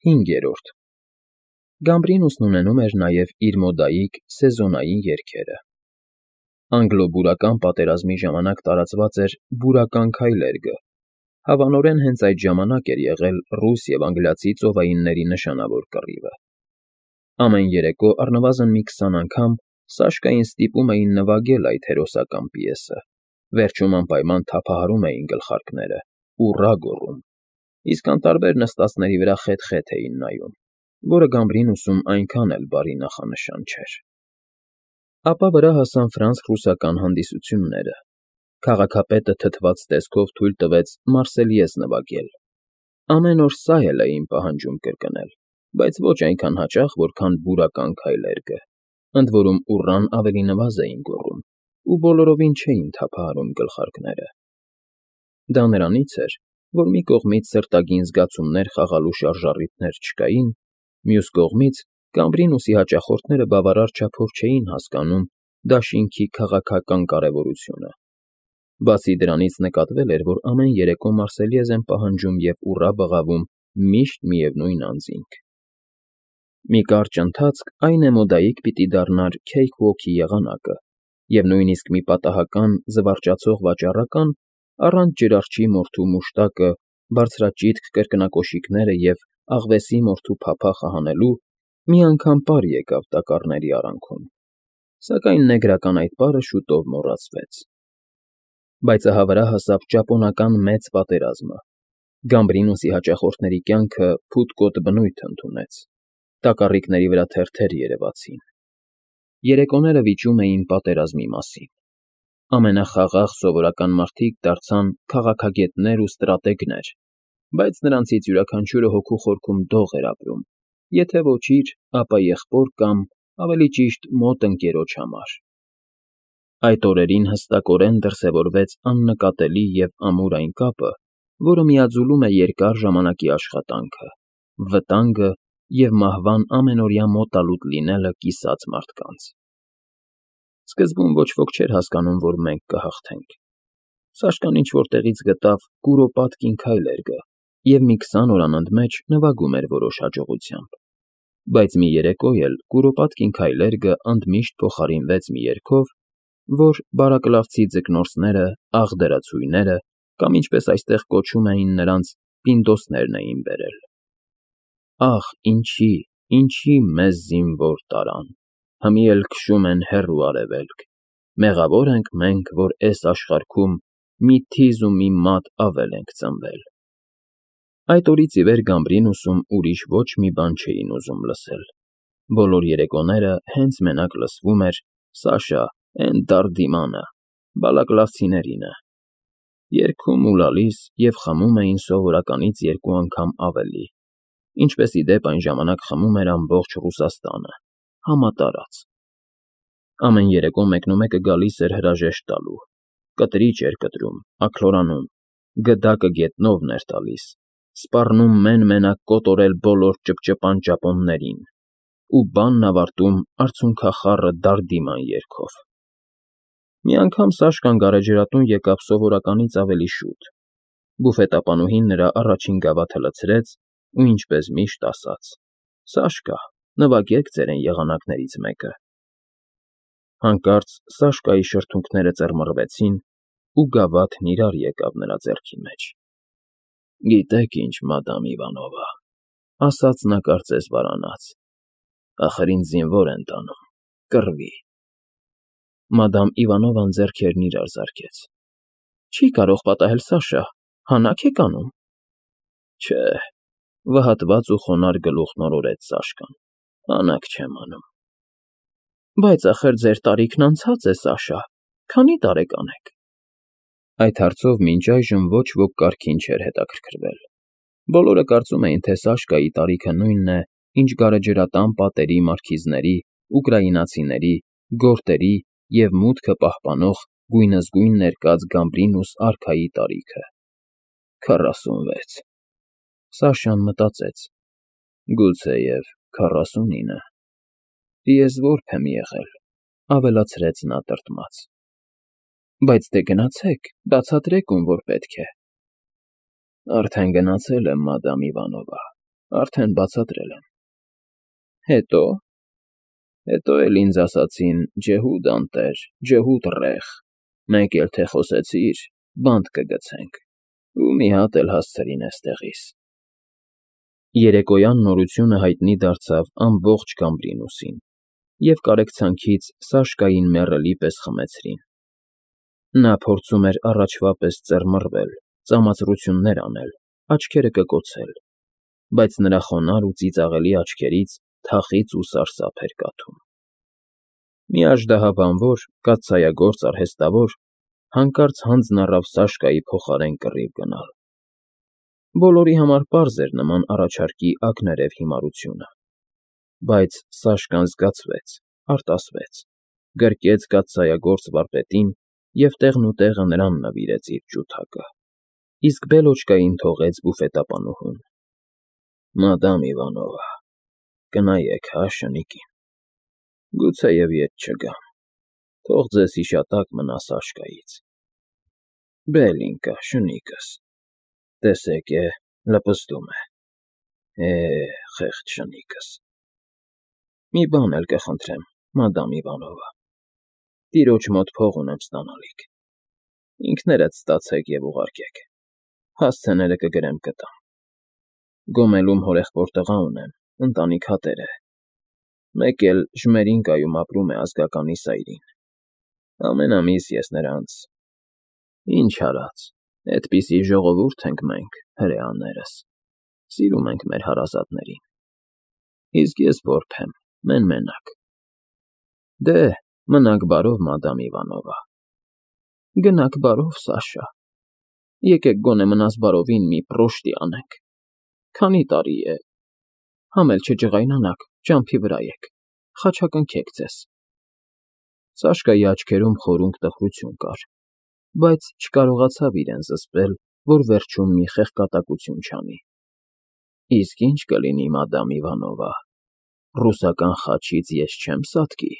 5. Գամբրինուսն ունենում էր նաև իր մոդայիկ սեզոնային երգերը։ Անգլո֊բուրական պատերազմի ժամանակ տարածված էր «բուրական քայլերգը», հավանորեն հենց այդ ժամանակ էր եղել ռուս և անգլիացի ծովայինների նշանավոր կռիվը։ Ամեն երեկո առնվազն մի 20 անգամ Սաշկային ստիպում էին նվագել այդ հերոսական պիեսը, վերջում անպայման թափահարում էին գլխարկները, ուռա գոռում, իսկ անտարբեր նստածների վրա խեթ֊խեթ էին նայում, որը Գամբրինուսում այնքան էլ բարի նախանշան չէր։ Ապա վրա հասան ֆրանս֊ռուսական հանդիսությունները։ Քաղաքապետը թթված տեսքով թույլ տվեց Մարսելիեզ նվագել։ Ամեն օր սա էլ էին պահանջում կրկնել, բայց ոչ այնքան հաճախ, որքան «բուրական քայլերգը», ընդ որում ուռան ավելի նվազ էին գոռում ու բոլորովին չէին թափահարում գլխարկները։ Դա նրանից էր, որ մի կողմից սրտագին զգացումներ խաղալու շարժառիթներ չկային, մյուս կողմից Գամբրինուսի հաճախորդները բավարար չափով չէին հասկանում դաշինքի քաղաքական կարևորությունը։ Բացի դրանից նկատվել էր, որ ամեն երեկո Մարսելիեզ են պահանջում և ուռա բղավում միշտ միևնույն անձինք։ Մի կարճ ընթացք այն էմոդայիկ պիտի դառնար Քեյքվոքի եղանակը, և նույնիսկ մի պատահական զվարճացող վաճառական առանց ջրարճի մորթու մուշտակը, բարձրաճիթք կրկնակոշիկները և աղվեսի մորթու փափախը հանելու մի անգամ պար եկավ տակառների արանքում, սակայն նեգրական այդ պարը շուտով մոռացվեց։ Բայց ահա վրա հասավ ճապոնական մեծ պատերազմը։ Գամբրինուսի հաճախորդների կյանքը փութկոտ բնույթ ընդունեց։ Տակառիկների վրա թերթեր երևացին։ Երեկոները վիճում էին պատերազմի մասին։ Ամենախաղաղ սովորական մարդիկ դարձան քաղաքագետներ ու ստրատեգներ, բայց նրանցից յուրաքանչյուրը հոգու խորքում դող էր ապրում, եթե ոչ իր, ապա եղբոր կամ, ավելի ճիշտ, մոտ ընկերոջ համար։ Այդ օրերին հստակորեն դրսևորվեց աննկատելի և ամուր այն կապը, որը միաձուլում է երկար ժամանակի աշխատանքը, վտանգը և մահվան ամենօրյա մոտալուտ լինելը կիսած մարդկանց։ Սկզբում ոչ ոք չէր հասկանում, որ մենք կհաղթենք։ Սաշկան ինչ֊որ տեղից գտավ «Կուրոպատկին քայլերգը» և մի 20 օր անընդմեջ նվագում էր որոշ հաջողությամբ։ Բայց մի երեկո էլ «Կուրոպատկին քայլերգը» ընդմիշտ փոխարինվեց մի երգով, որ բարակլավցի ձկնորսները, աղդրացուները կամ, ինչպես այստեղ կոչում էին նրանց, պինդոսներն էին բերել. Ախ, ինչի մեզ զինվոր տարան, հմի էլ քշում են հեռու արևելք, մեղավոր ենք մենք, որ էս աշխարհքում մի թիզ ու մի մատ ավել ենք ծնվել։ Այդ օրից ի վեր Գամբրինուսում ուրիշ ոչ մի բան չէին ուզում լսել։ Բոլոր երեկոները հենց մենակ լսվում էր «Սաշա, էն դարդիմանը, բալակլավցիներինը»։ Երգում ու լալիս և խմում էին սովորականից 2 անգամ ավելի, ինչպես ի դեպ այն ժամանակ խմում էր ամբողջ Ռուսաստանը, համատարած։ Ամեն երեկո մեկնումեկը գալիս էր հրաժեշտ տալու, կտրիճ էր կտրում, աքլորանում, գդակը գետնով էր տալիս, սպառնում մեն֊մենակ կոտորել բոլոր ճպճպան ճապոններին ու բանն ավարտում արցունքախառը դարդիման երգով։ Մի անգամ Սաշկան գարեջրատուն եկավ սովորականից ավելի շուտ։ Բուֆետապանուհին նրա առաջին գավաթը լցրեց ու ինչպես միշտ ասաց. «Սաշկա, նվագեք ձերն եղանակներից մեկը»։ Հանկարծ Սաշկայի շրթունքները ծռմռվեցին, ու գավաթն իրար եկավ նրա ձեռքի մեջ։ «Գիտեք ինչ, մադամ Իվանովա,֊ ասաց նա կարծես վարանած,֊ ախր ինձ զինվոր են տանում, կռվի»։ Մադամ Իվանովան ձեռքերն իրար զարկեց։ «Չի կարող պատահել, Սաշա, հանա՞ք եք անում»։ Չէ, վհատված ու խոնարհ գլուխն օրորեց Սաշկան, հանաք չեմ անում։ Բայց ախր ձեր տարիքն անցած է, Սաշա, քանի՞ տարեկան եք։ Այդ հարցով մինչ այժմ ոչ ոք կարգին չէր հետաքրքրվել։ Բոլորը կարծում էին, թե Սաշկայի տարիքը նույնն է, ինչ գարեջրատան պատերի մարքիզների, ուկրաինացիների, գորտերի և մուտքը պահպանող գույնզգույն ներկած Գամբրինուս արքայի տարիքը։ 46։ Սաշան մտածեց. գուցեև 49։ Ես որբ եմ եղել,֊ ավելացրեց նա տրտմած։ Բայց դե գնացեք, բացատրեք, ում որ պետք է։ Արդեն գնացել եմ, մադամ Իվանովա, Արդեն բացատրել եմ։ Հետո։ Հետո էլ ինձ ասացին. «Ջհուդ անտեր, ջհուդ ռեխ, մեկ էլ թե խոսեցիր, բանտ կգցենք, ու մի հատ էլ հասցրին էստեղիս»։ Երեկոյան նորությունը հայտնի դարձավ ամբողջ Գամբրինուսին, և կարեկցանքից Սաշկային մեռելի պես խմեցրին։ Նա փորձում էր առաջվա պես ծռմռվել, ծամածրություններ անել, աչքերը կկոցել, բայց նրա խոնարհ ու ծիծաղելի աչքերից թախիծ ու սարսափ էր կաթում։ Մի աժդահաբանվոր, կաթսայագործ արհեստավոր հանկարծ հանձն առավ Սաշկայի փոխարեն կռիվ գնալ։ Բոլորի համար պարզ էր նման առաջարկի ակներև հիմարությունը, բայց Սաշկան զգացվեց, արտասվեց, գրկեց կաթսայագործ վարպետին և տեղնուտեղը նրան նվիրեց իր ջութակը, իսկ Բելոչկային թողեց բուֆետապանուհուն։ «Մադամ Իվանովա, կնայեք հա շնիկին, գուցեև ետ չգամ, թող ձեզ հիշատակ մնա Սաշկայից։ Բելինկա, շնիկս, տեսեք է, լպստում է, խեղճ շնիկս։ Մի բան էլ կխնդրեմ, մադամ Իվանովա, տիրոջ մոտ փող ունեմ ստանալիք, ինքներդ ստացեք և ուղարկեք, հասցեները կգրեմ կտամ։ Գոմելում հորեղբոր տղա ունեմ, ընտանիք հատեր է, մեկ էլ Ժմերինկայում ապրում է ազգականի սայրին, ամեն ամիս ես նրանց… Ինչ արած, էդպիսի ժողովուրդ ենք մենք, հրեաներս, սիրում ենք մեր հարազատներին, իսկ ես որբ եմ, մեն֊մենակ։ Դե, մնաք բարով, մադամ Իվանովա։ Գնաք բարով, Սաշա, եկեք գոնե մնաս բարովին մի պռոշտի անենք, քանի տարի է, համ էլ չջղայնանաք, ճամփի վրա եք, խաչակնքեք ձեզ։ Սաշկայի աչքերում խորունկ տխրություն կար, բայց չկարողացավ իրեն զսպել, որ վերջում մի խեղկատակություն չանի։ Իսկ ի՞նչ կլինի, մադամ Իվանովա, ռուսական խաչից ես չեմ սատկի։